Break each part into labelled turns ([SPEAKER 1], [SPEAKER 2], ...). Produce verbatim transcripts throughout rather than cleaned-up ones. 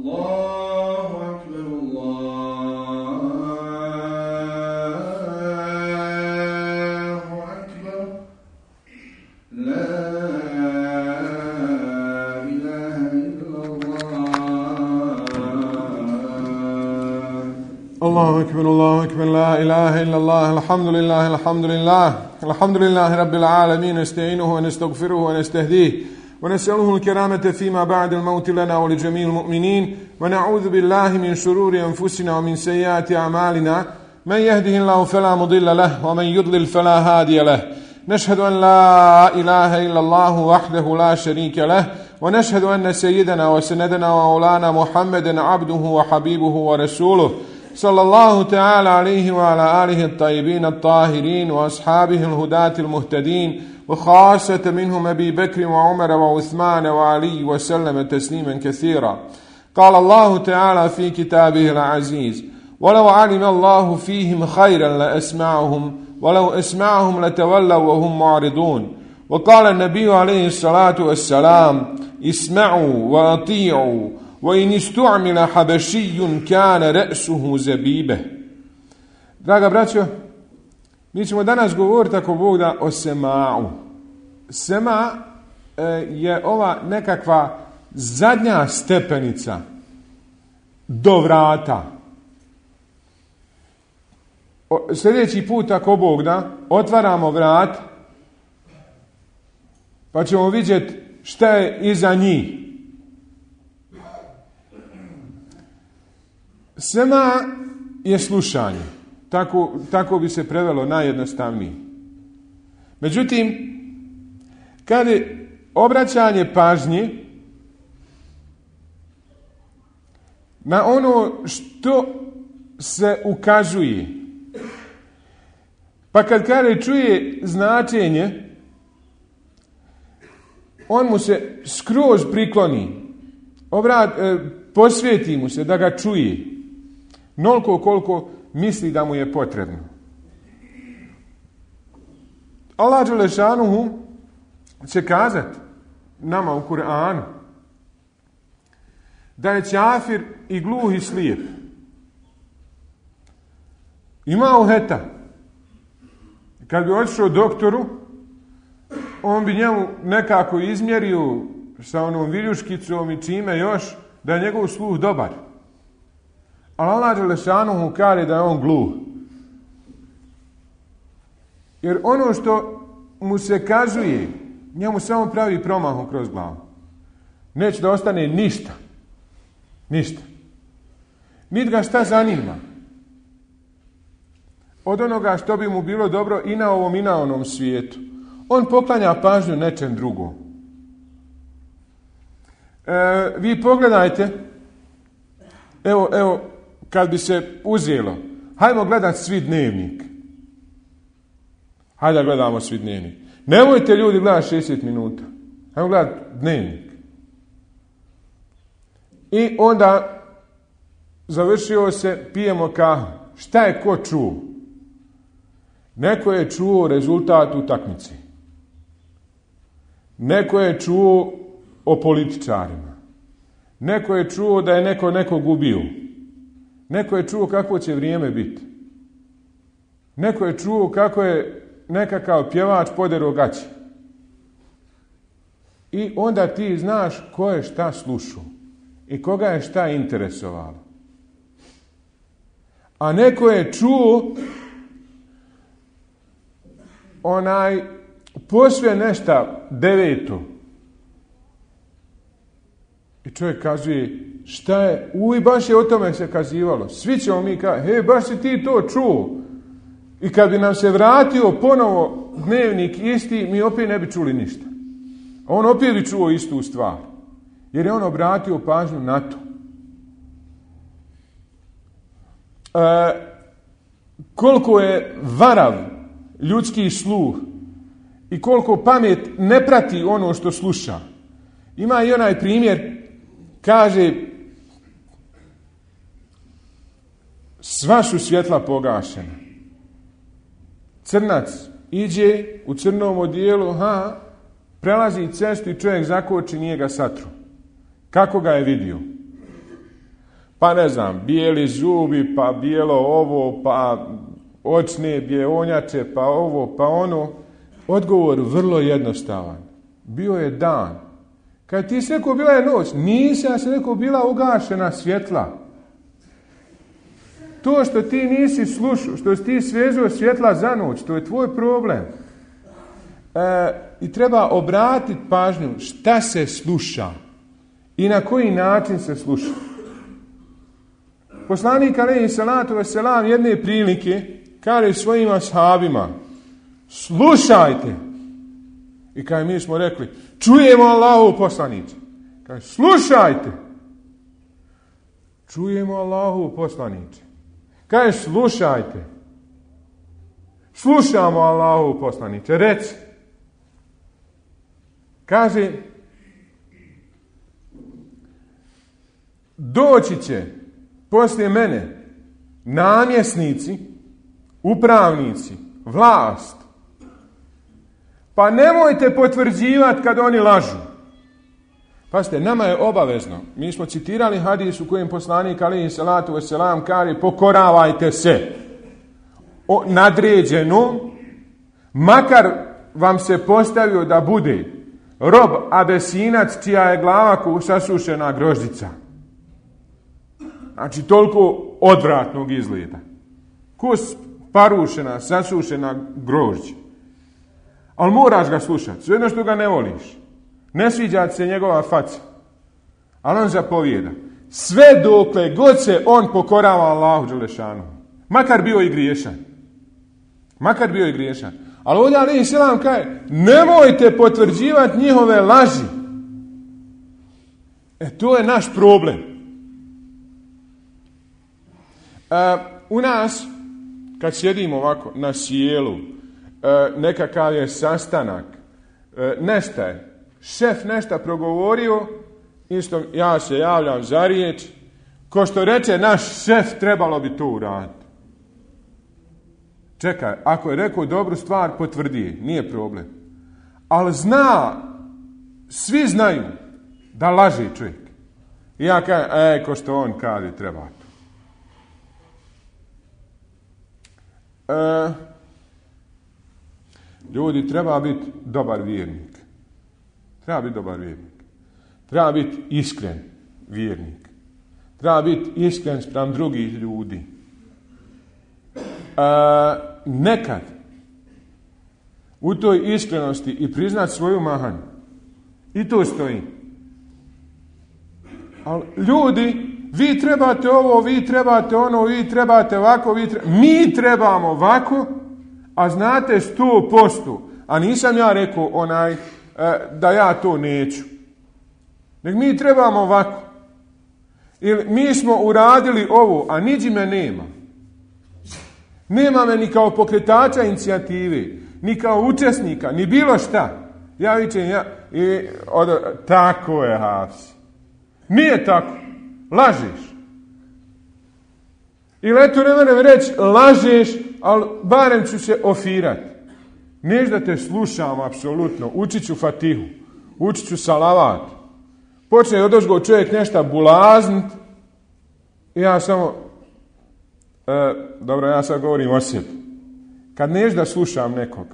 [SPEAKER 1] Allahu akbar, Allahu akbar, la ilaha illallah.
[SPEAKER 2] Allahu akbar, Allahu akbar, la ilaha illallah, alhamdulillah, alhamdulillah, alhamdulillahi rabbil alamin, nasta'inuhu wa nastaghfiruhu wa nastahdihi. ونسأله الكرامة فيما بعد الموت لنا ولجميع المؤمنين ونعوذ بالله من شرور أنفسنا ومن سيئات أعمالنا من يهده الله فلا مضل له ومن يضلل فلا هادي له نشهد أن لا إله إلا الله وحده لا شريك له ونشهد أن سيدنا وسندنا ومولانا محمدا عبده وحبيبه ورسوله صلى الله تعالى عليه وعلى آله الطيبين الطاهرين وأصحابه الهداة المهتدين وخاصة منهم أبي بكر وعمر وعثمان وعلي وسلم تسليما كثيرا. قال الله تعالى في كتابه العزيز: ولو علم الله فيهم خيرا لأسمعهم ولو أسمعهم لتولوا وهم معرضون. وقال النبي عليه الصلاة والسلام: اسمعوا وأطيعوا وإن استعمل حبشي كان رأسه زبيبه. Draga braćo, mi ćemo danas govoriti, ako Bog da, o sema'u. Sema e, je ova nekakva zadnja stepenica do vrata. O, sljedeći put, ako Bog da, otvaramo vrat, pa ćemo vidjeti šta je iza njih. Sema je slušanje. Tako, tako bi se prevelo najjednostavnije. Međutim, kad je obraćanje pažnje na ono što se ukazuje, pa kad kada čuje značenje, on mu se skroz prikloni, obrat, e, posvijeti mu se da ga čuje, noliko koliko misli da mu je potrebno. Allah dželešanuhu će kazati nama u Kur'anu da je čafir i gluh i slijep. Ima uheta. Kad bi otišao doktoru, on bi njemu nekako izmjerio sa onom viljuškicom i čime još da je njegov sluh dobar. Ali Allah dželešanuhu kaže da je on gluh. Jer ono što mu se kazuje, njemu samo pravi promahu kroz glavu. Neće da ostane ništa. Ništa. Niti ga šta zanima. Od onoga što bi mu bilo dobro i na ovom i na onom svijetu. On poklanja pažnju nečem drugom. E, vi pogledajte, evo, evo, kad bi se uzelo, hajmo gledati svi dnevnik. Hajde da gledamo svi dnevnik. Nemojte ljudi gledati šezdeset minuta. Hajmo gledati dnevnik. I onda završio se, pijemo kahu. Šta je ko čuo? Neko je čuo rezultat utakmice. Neko je čuo o političarima. Neko je čuo da je neko nekog ubio. Neko je čuo kako će vrijeme biti. Neko je čuo kako je nekakav pjevač poderao gaće. I onda ti znaš ko je šta slušao i koga je šta interesovalo. A neko je čuo onaj posve nešto deveto. I čovjek kazuje, šta je, uj, baš je o tome se kazivalo. Svi ćemo mi kazati, he, baš si ti to čuo. I kad bi nam se vratio ponovo dnevnik isti, mi opet ne bi čuli ništa. A on opet bi čuo istu stvar. Jer je on obratio pažnju na to. E, koliko je varav ljudski sluh i koliko pamet ne prati ono što sluša. Ima i onaj primjer, kaže, sva su svjetla pogašena. Crnac iđe u crnom odijelu, ha, prelazi cestu i čovjek zakoči, nije ga satru. Kako ga je vidio? pa ne znam, bijeli zubi, pa bijelo ovo, pa očne bjeonjače, pa ovo, pa ono. Odgovor vrlo jednostavan. Bio je dan. Kad ti si rekao bila je noć, nisi, ja sam rekao bila ugašena svjetla. To što ti nisi slušao, što si ti svezao svjetla za noć, to je tvoj problem. E, I treba obratiti pažnju šta se sluša i na koji način se sluša. Poslanik alejhi salatu vesselam jedne prilike kaže svojim ashabima: slušajte. I kaže, mi smo rekli, čujemo Allahu poslanice. Kaže, slušajte. Čujemo Allahu poslanice. Kaže, slušajte. Slušamo Allahu poslanice. Reci. Kaže, doći će poslije mene namjesnici, upravnici, vlast. Pa nemojte potvrđivati kad oni lažu. Pazite, nama je obavezno. Mi smo citirali hadis u kojem poslanik alejhi salatu vesselam kaže: pokoravajte se o nadređenom, makar vam se postavio da bude rob Abesinac čija je glava ko sasušena grožđica. Znači, toliko odvratnog izgleda. Ko parušena, sasušena grožđa. Ali moraš ga slušati, sve jedno što ga ne voliš. Ne sviđa se njegova faca. Ali on zapovijeda. Sve dokle god se on pokorava Allahu dželešanu. Makar bio i griješan. Makar bio i griješan. Ali ovdje alejhi selam kaže, nemojte potvrđivati njihove laži. E, to je naš problem. E, u nas, kad sjedimo ovako na sjelu, e, nekakav je sastanak, e, nešto je, šef nešto progovorio, isto ja se javljam za riječ, ko što reče naš šef, trebalo bi to uraditi. Čekaj, ako je rekao dobru stvar, potvrdi, nije problem. Ali zna, svi znaju da laže čovjek. I ja kažem, e, ko što on kaže, treba to. E, ljudi, treba biti dobar vjernik. Treba biti dobar vjernik. Treba biti iskren vjernik. Treba biti iskren spram drugih ljudi. A, nekad u toj iskrenosti i priznat svoju mahanu. I to stoji. Ali ljudi, vi trebate ovo, vi trebate ono, vi trebate ovako, vi trebate... mi trebamo ovako, a znate sto posto. A nisam ja rekao onaj e, da ja to neću. Nek mi trebamo ovako. Ili mi smo uradili ovo, a niđi me nema. Nema me ni kao pokretača inicijative, ni kao učesnika, ni bilo šta. Ja vičem, ja, i, od, tako je, Hafsi. Nije tako. Lažeš. Ili eto ne moram reći, lažeš, ali barem ću se ofirati. Neš da te slušam, apsolutno. Učit ću Fatihu. Učit ću salavat. Počne odozgo čovjek nešto bulaznit. I ja samo... E, dobro, ja sad govorim o sebi. Kad neš da slušam nekog,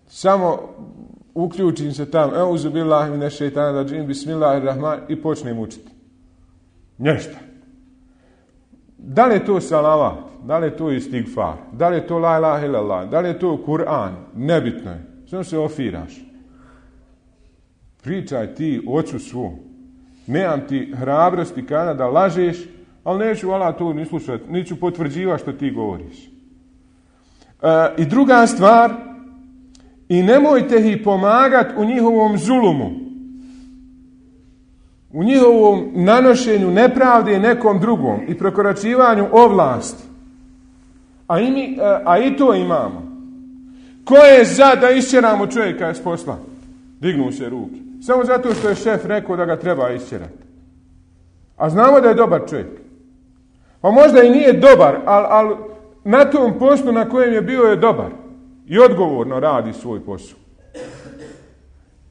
[SPEAKER 2] samo uključim se tamo, euzu billahi mine šejtana racim, bismillahirrahman, i počnem učiti. Nešto. Da li je to salavat? Da li je to istigfar? Da li je to la ilaha illallah? Da li je to Kur'an? Nebitno je. Samo se ofiraš. Pričaj ti ocu svu. Nemam ti hrabrosti kada da lažeš, ali neću Allah to ni slušati, neću potvrđivati što ti govoriš. E, I druga stvar, i nemojte ih pomagati u njihovom zulumu, u njihovom nanošenju nepravde nekom drugom i prekoračivanju ovlasti. A i, mi, a i to imamo. Ko je za da išćeramo čovjeka s posla? Dignu se ruke. Samo zato što je šef rekao da ga treba išćerati. A znamo da je dobar čovjek. Pa možda i nije dobar, ali, ali na tom poslu na kojem je bio je dobar. I odgovorno radi svoj posao.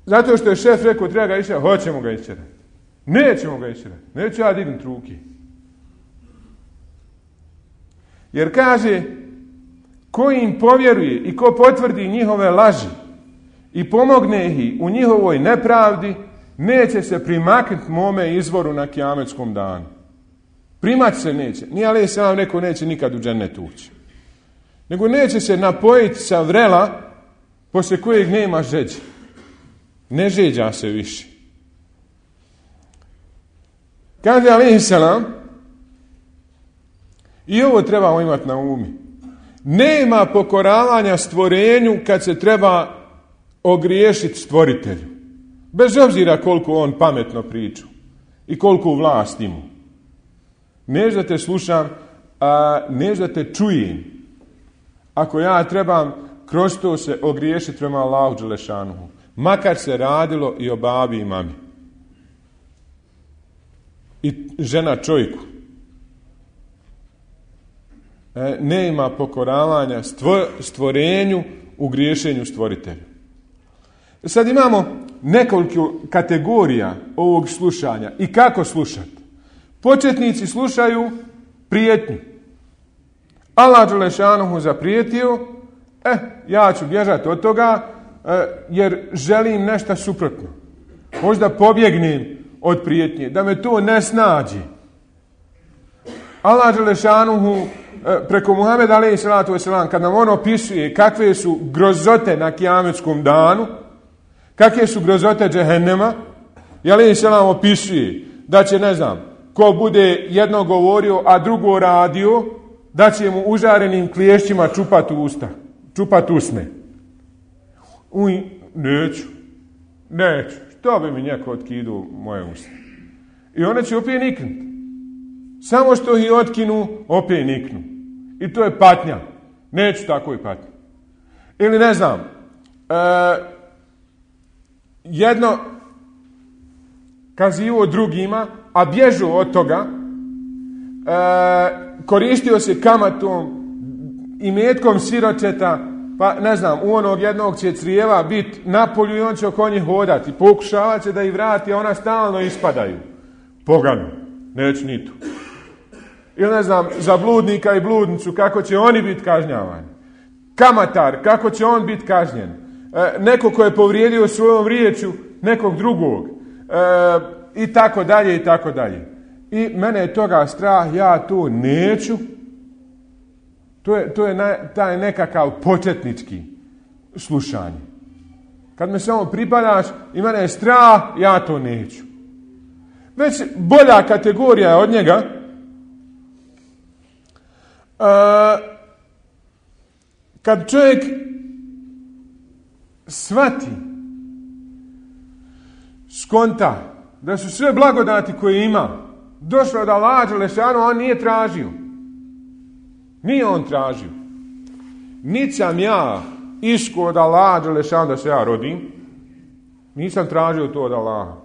[SPEAKER 2] Zato što je šef rekao treba ga išćerati, hoćemo ga išćerati. Nećemo ga išćerati. Neću ja dignuti ruke. Jer kaže, ko im povjeruje i ko potvrdi njihove laži i pomogne ih u njihovoj nepravdi, neće se primaknuti mome izvoru na kijametskom danu. Primat se neće. Nije ali se vam neko neće nikad u džennet ući. Nego neće se napojiti sa vrela poslije kojeg nema žeđe. Ne žeđa se više. Kaže alejhi selam, i ovo trebamo imati na umi. Nema pokoravanja stvorenju kad se treba ogriješiti stvoritelju. Bez obzira koliko on pametno priča i koliko vlast ima. Než da te slušam, a než da te čujem. Ako ja trebam kroz to se ogriješiti prema Allahu dželešanuhu, makar se radilo i o babi i mami. I žena čovjeku. E, ne ima pokoravanja stvorenju u griješenju stvoritelju. Sad imamo nekoliko kategorija ovog slušanja i kako slušati. Početnici slušaju prijetnju. Allah dželešanuhu zaprijetio, eh, ja ću bježati od toga eh, jer želim nešto suprotno. Možda pobjegnem od prijetnje, da me to ne snađi. Allah dželešanuhu eh, preko Muhameda alejhi salatu vesselam, kad nam on opisuje kakve su grozote na kijametskom danu, kakve su grozote džehennema, i alejhi selam opisuje da će, ne znam, ko bude jedno govorio, a drugo radio, da će mu užarenim kliješćima čupat usta, čupat usne. Uj, neću, neću, što bi mi neko otkidao moje usta. I one će opet niknut. Samo što ih otkinu, opet niknu. I to je patnja. Neću tako i patnja. Ili ne znam, e, jedno kazivo drugima, a bježu od toga, e, koristio se kamatom i metkom siročeta, pa ne znam, u onog jednog će crijeva biti na polju i on će oko njih hodati. Pokušavat će da ih vrati, a ona stalno ispadaju. Pogano, neću ni tu. Ili ne znam, za bludnika i bludnicu, kako će oni biti kažnjavani. Kamatar, kako će on biti kažnjen. E, neko ko je povrijedio svojom riječju nekog drugog. E, I tako dalje, i tako dalje. I mene je toga strah, ja to neću. To je, to je na, taj nekakav početnički slušanje. Kad me samo pripadaš i mene je strah, ja to neću. Već bolja kategorija je od njega. Uh, kad čovjek shvati, skonta da su sve blagodati koje ima došle od Allaha dželešanu, on nije tražio. Nije on tražio. Niti sam ja isko od Allaha dželešanu da se ja rodim. Nisam tražio to od Allaha.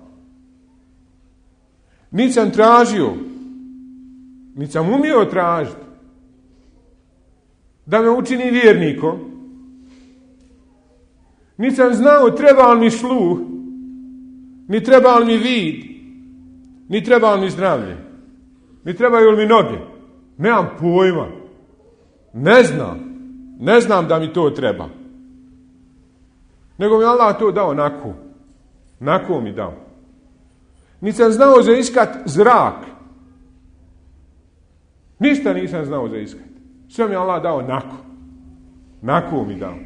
[SPEAKER 2] Niti sam tražio, niti sam umio tražiti da me učini vjernikom. Niti sam znao treba li mi sluh, ni treba li mi vid, ni treba li mi zdravlje, ni trebaju li mi noge. Nemam pojma. Ne znam. Ne znam da mi to treba. Nego mi Allah to dao onako. Onako mi dao. Niti sam znao za iskat zrak. Ništa nisam znao za iskat. Sve mi Allah dao onako. Onako mi dao.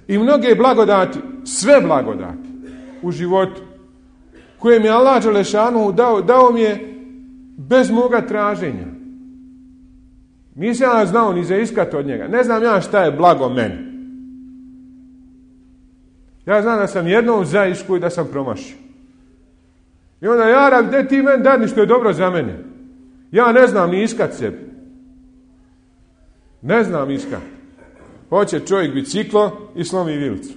[SPEAKER 2] I mnoge blagodati, sve blagodati u životu koje mi Allah dželešanu dao, dao mi je bez moga traženja. Nisam ja znao ni za iskat od njega. Ne znam ja šta je blago meni. Ja znam da sam jednom zaišku i da sam promašio. I onda ja rab, gdje ti meni dadni što je dobro za mene? Ja ne znam ni iskat sebi. Ne znam iskat. Hoće čovjek biciklo i slomi vilicu.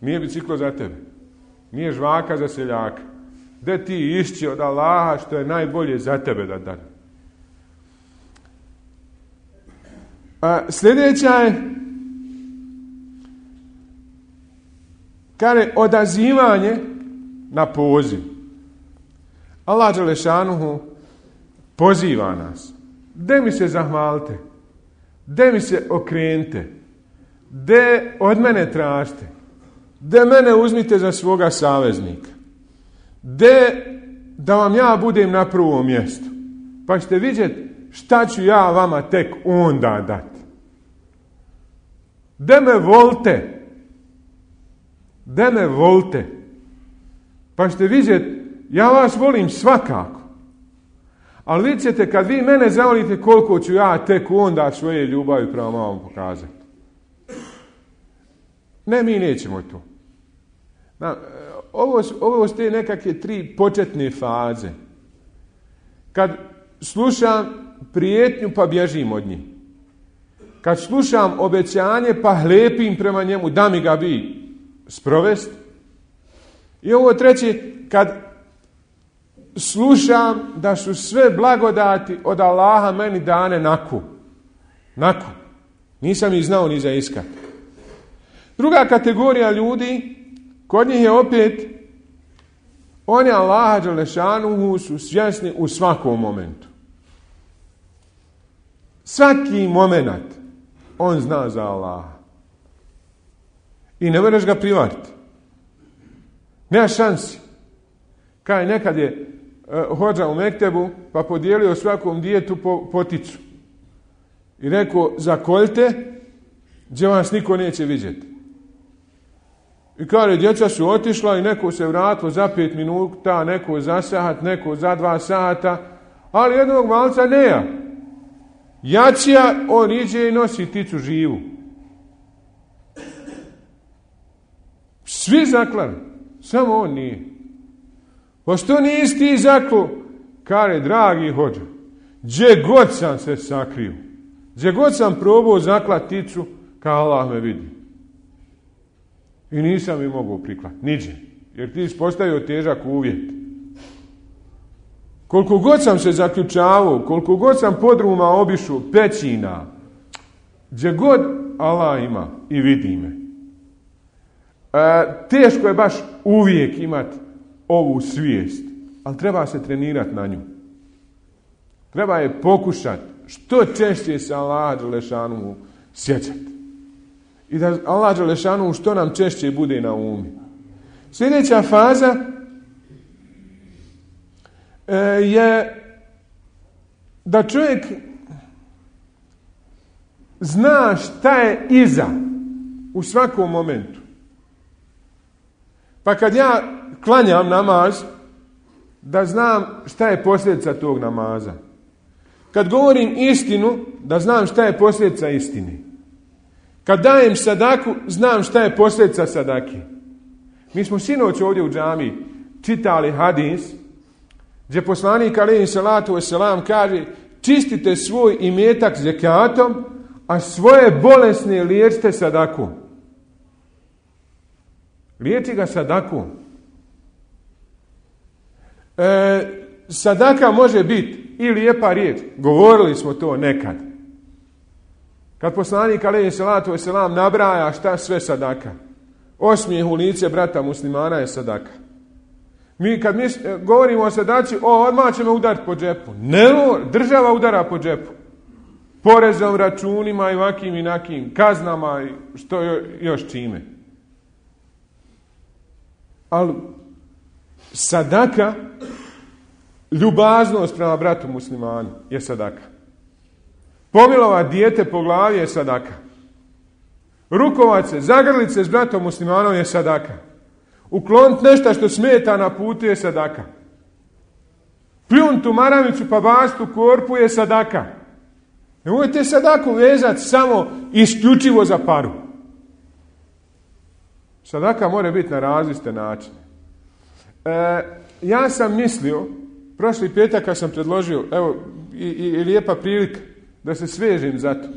[SPEAKER 2] Nije biciklo za tebe. Nije žvaka za seljaka. Gdje ti išći od Allaha što je najbolje za tebe da dadne? A sljedeća je kaže odazivanje na poziv. Allah dželešanuhu poziva nas de mi se zahvalite, de mi se okrenite, de od mene tražite, de mene uzmite za svoga saveznika, de da vam ja budem na prvom mjestu, pa ćete vidjeti šta ću ja vama tek onda dati. De me volite, de me volite, pa ćete vidjeti, ja vas volim svakako, ali vidjet ćete kad vi mene zavolite koliko ću ja tek onda svoje ljubavi prema vam pokazati. Ne, mi nećemo to. Na, ovo, ovo su te nekakve tri početne faze. Kad slušam prijetnju pa bježim od njih. Kad slušam obećanje pa hlepim prema njemu da mi ga bi sprovest. I ovo treće, kad slušam da su sve blagodati od Allaha meni dane naku. Naku. Nisam ih znao ni za iskat. Druga kategorija ljudi, kod njih je opet, oni Allaha dželešanuhu su svjesni u svakom momentu. Svaki moment on zna za Allaha. I ne možeš ga privariti. Nema šansi. Kaj nekad je uh, hodža u Mektebu, pa podijelio svakom djetetu po, poticu. I rekao, zakoljte, gdje vas niko neće vidjeti. I kaže, djeca su otišla i neko se vratilo za pet minuta, neko za sat, neko za dva sata, ali jednog malca neja. Jačija, on iđe i nosi ticu živu. Svi zaklali, samo on nije. Pa što nisi ti zaklo? Kaže, dragi hođa, gdje god sam se sakrio, gdje god sam probao zaklat ticu, kao Allah me vidi. I nisam mi mogao priklat, niđe, jer ti si postavio težak uvjet. Koliko god sam se zaključavao, koliko god sam podruma obišao, pećina, gdje god Allah ima i vidi me. E, teško je baš uvijek imati ovu svijest, ali treba se trenirati na nju. Treba je pokušati što češće se Allaha dželešanuhu sjećati. I da Allah dželešanuhu što nam češće bude na umi. Sljedeća faza e, je da čovjek zna šta je iza u svakom momentu. Pa kad ja klanjam namaz, da znam šta je posljedica tog namaza. Kad govorim istinu, da znam šta je posljedica istine. Kad dajem sadaku, znam šta je posljedica sadake. Mi smo sinoć ovdje u džamiji čitali hadis, gdje poslanik alejhi salatu vesselam kaže, čistite svoj imetak zekatom, a svoje bolesne liječite sadakom. Liječi ga sadakom. E, sadaka može biti i lijepa riječ. Govorili smo to nekad. Kad poslanik alejhi salatu vesselam nabraja šta sve sadaka. Osmijeh u lice brata muslimana je sadaka. Mi kad mi govorimo o sadaci, o, odmah će me udariti po džepu. Ne, država udara po džepu. Porezom, računima i vakim i nakim, kaznama i što još čime. Ali sadaka, ljubaznost prema bratu muslimanu je sadaka. Pomilovat dijete po glavi je sadaka. Rukovat se, zagrlit se s bratom muslimanom je sadaka. Ukloniti nešto što smeta na putu je sadaka. Pljun tu maramicu pa bastu korpu je sadaka. Nemojte sadaku vezati samo isključivo za paru. Sadaka mora biti na različite načine. E, ja sam mislio, prošli petak kad sam predložio, evo, i, i, i lijepa prilika da se svežim za to.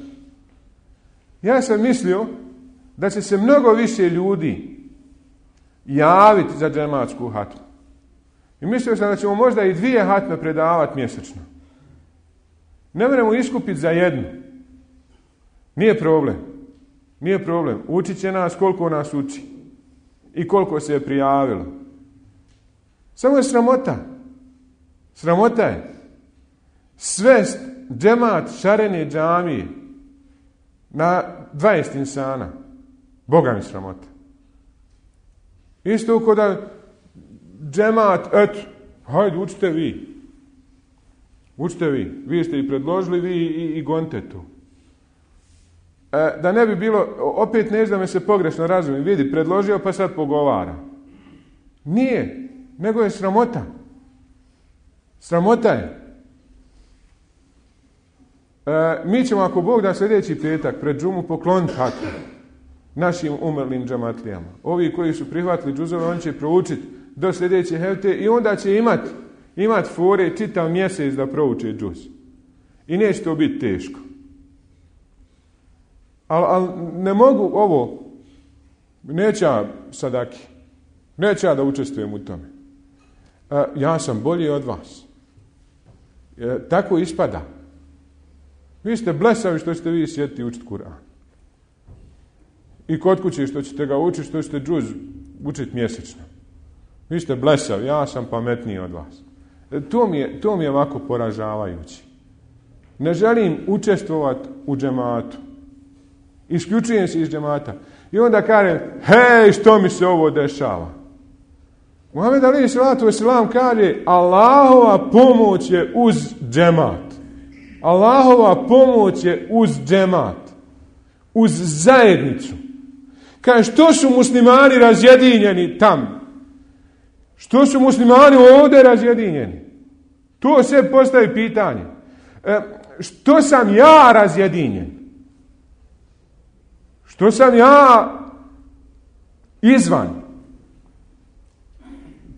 [SPEAKER 2] Ja sam mislio da će se mnogo više ljudi javiti za džematsku hatmu. I mislio sam da ćemo možda i dvije hatme predavati mjesečno. Ne moramo iskupiti za jednu. Nije problem. Nije problem. Učit će nas koliko nas uči. I koliko se je prijavilo. Samo je sramota. Sramota je svest džemat šarene džamije na dvadeset insana. Boga mi sramota. Isto ko da džemat, eto, hajde, učite vi. Učite vi. Vi ste i predložili, vi i, i gonite tu. E, da ne bi bilo, opet ne znam da me se pogrešno razumi, vidi, predložio pa sad pogovara. Nije, nego je sramota. Sramota je. E, mi ćemo, ako Bog da, sljedeći petak pred džumu pokloniti hatu našim umrlim džamatlijama. Ovi koji su prihvatili džuzove, oni će proučiti do sljedeće hefte i onda će imati imat fore čitav mjesec da prouče džuz. I neće to biti teško. Ali al ne mogu ovo, neću ja sadaki, neću ja da učestvujem u tome. E, ja sam bolji od vas. E, tako ispada. Vi ste blesavi što ćete vi sjediti učiti Kur'an. I kod kuće što ćete ga učiti, što ćete džuz učiti mjesečno. Vi ste blesavi, ja sam pametniji od vas. E, to, mi je, to mi je ovako poražavajući. Ne želim učestvovati u džematu. Isključujem se iz džemata. I onda kažem, hej, što mi se ovo dešava? Muhammed alejhi selatu vesselam kaže, Allahova pomoć je uz džemat. Allahova pomoć je uz džemat. Uz zajednicu. Kaže, što su muslimani razjedinjeni tam? Što su muslimani ovdje razjedinjeni? To se postavi pitanje. E, što sam ja razjedinjen? Što sam ja izvan?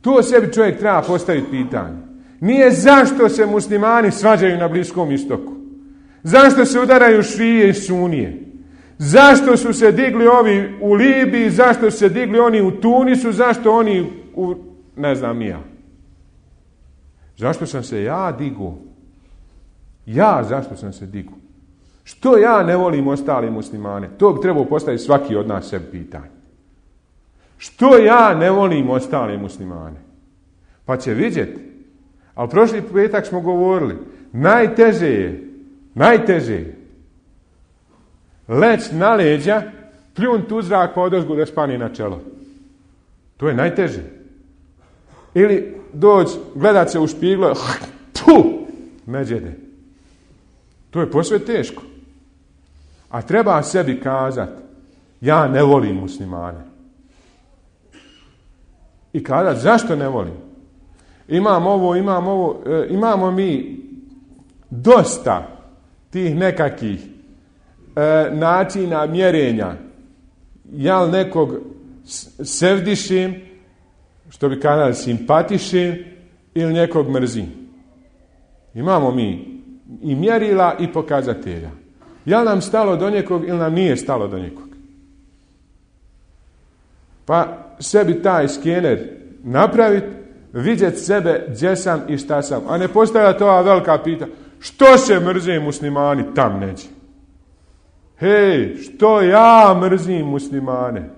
[SPEAKER 2] To sebi čovjek treba postaviti pitanje. Nije zašto se muslimani svađaju na Bliskom istoku. Zašto se udaraju šije i sunije. Zašto su se digli ovi u Libiji, zašto su se digli oni u Tunisu, zašto oni u, ne znam ja. Zašto sam se ja digu? Ja zašto sam se digu? Što ja ne volim ostali muslimane? To bi trebao postaviti svaki od nas sebi pitanje. Što ja ne volim ostali muslimane? Pa će vidjeti. Ali prošli petak smo govorili, najteže je, najteže je leć na leđa, pljun tu zrak pa odozgu da spani na čelo. To je najteže. Ili doći, gledat se u špiglo, tu, međede. To je posve teško. A treba sebi kazati, ja ne volim muslimane. I kazati, zašto ne volim? Imam ovo, imam ovo, e, imamo mi dosta tih nekakvih e, načina mjerenja. Ja nekog sevdišim, što bi kazali simpatišim, ili nekog mrzim. Imamo mi i mjerila i pokazatelja. Ja nam stalo do nekog ili nam nije stalo do nekog. Pa sebi taj skener napraviti, vidjeti sebe gdje sam i šta sam. A ne postavljati ova velika pita. Što se mrze muslimani tam neđe? Hej, što ja mrzim muslimane?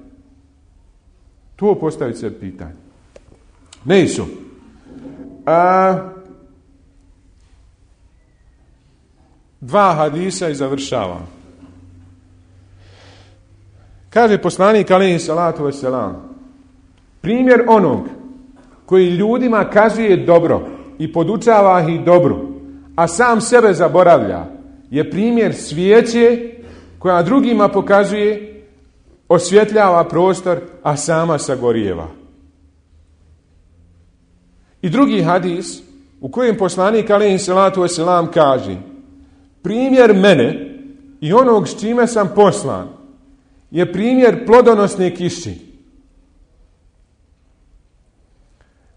[SPEAKER 2] To postaviti se pitanje. Nisu. A, dva hadisa i završavam. Kaže poslanik alejhi salatu vesselam, primjer onog koji ljudima kazuje dobro i podučava ih dobru, a sam sebe zaboravlja, je primjer svijeće koja drugima pokazuje, osvjetljava prostor, a sama sagorijeva. I drugi hadis u kojem poslanik alejhi salatu vesselam kaže, primjer mene i onog s čime sam poslan je primjer plodonosne kiši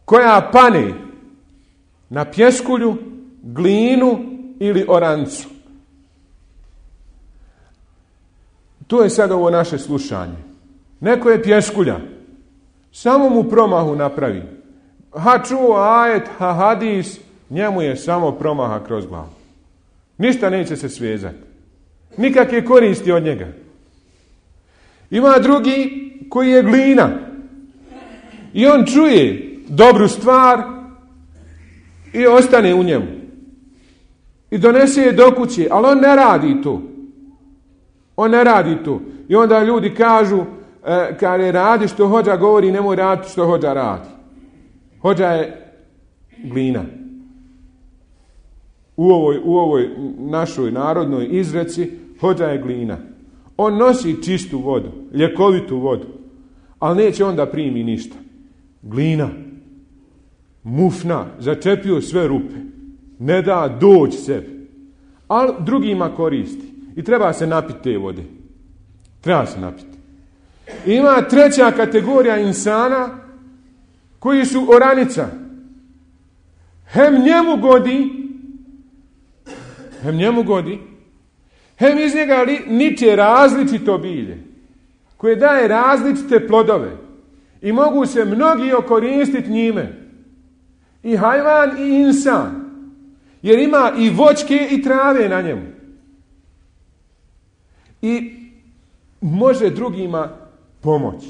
[SPEAKER 2] koja pane na pjeskulju, glinu ili orancu. To je sad ovo naše slušanje. Neko je pjeskulja, samo mu promahu napravi. Ha čuo ajet, ha hadis, njemu je samo promaha kroz glavu. Ništa neće se svezati. Nikakve koristi od njega. Ima drugi koji je glina. I on čuje dobru stvar i ostane u njemu. i donese je do kuće, ali on ne radi to. On ne radi to. I onda ljudi kažu, e, kada radi što hođa govori, nemoj raditi što hođa radi. Hođa je glina. U ovoj, u ovoj našoj narodnoj izreci hođa je glina. On nosi čistu vodu, ljekovitu vodu, ali neće onda primi ništa. Glina, mufna, začepio sve rupe, ne da doći sebi, ali drugima koristi. I treba se napiti te vode. Treba se napiti. Ima treća kategorija insana koji su oranica. Hem njemu godi, hem njemu godi, hem iz njega li, niče različito bilje, koje daje različite plodove i mogu se mnogi okoristiti njime. I hajvan i insan, jer ima i voćke i trave na njemu. I može drugima pomoći.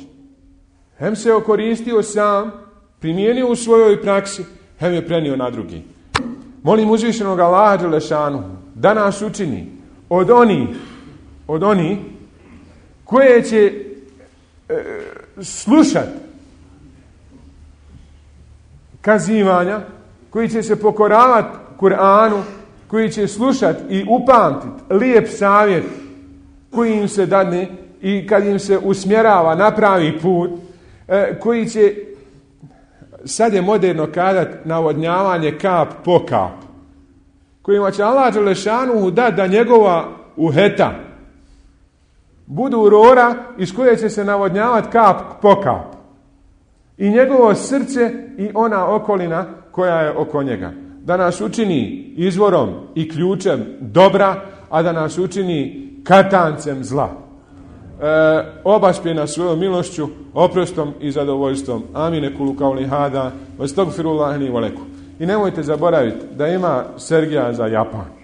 [SPEAKER 2] Hem se okoristio sam, primijenio u svojoj praksi, hem je prenio na drugi. Molim uzvišenog Allaha dželešanu da nas učini od onih, od onih koje će e, slušati kazivanja, koji će se pokoravati Kur'anu, koji će slušati i upamtiti lijep savjet koji im se dadne i kad im se usmjerava na pravi put, e, koji će, sad je moderno kazati, navodnjavanje kap po kap, kojima će Allah dželešanu dati da njegova uheta budu rora iz koje će se navodnjavati kap po kap. I njegovo srce i ona okolina koja je oko njega. Da nas učini izvorom i ključem dobra, a da nas učini katancem zla. E, obaspe nas svojom milošću, oprostom i zadovoljstvom. Amine kulu kauli hada, vastagfirullahi li wa lakum. I nemojte zaboraviti da ima Sergija za Japan.